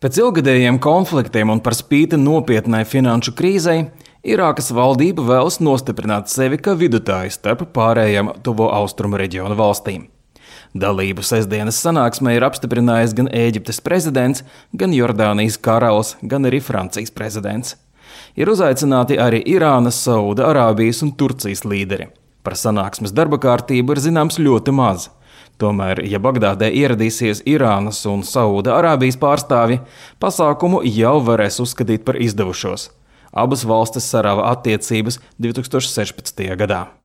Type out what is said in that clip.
Pēc ilgadējiem konfliktiem un par spīti nopietnai finanšu krīzei, Irākas valdība vēlas nostiprināt sevi kā vidutāju starp pārējām Tuvo Austrumu reģiona valstīm. Dalību sestdienas sanāksmē ir apstiprinājis gan Ēģiptes prezidents, gan Jordānijas karalis, gan arī Francijas prezidents. Ir uzaicināti arī Irānas, Sauda-Arābijas un Turcijas līderi. Par sanāksmes darba kārtību ir zināms ļoti maz. Tomēr, ja Bagdādē ieradīsies Irānas un Sauda-Arābijas pārstāvji, pasākumu jau varēs uzskatīt par izdevušos. Abas valstis sarāva attiecības 2016. gadā.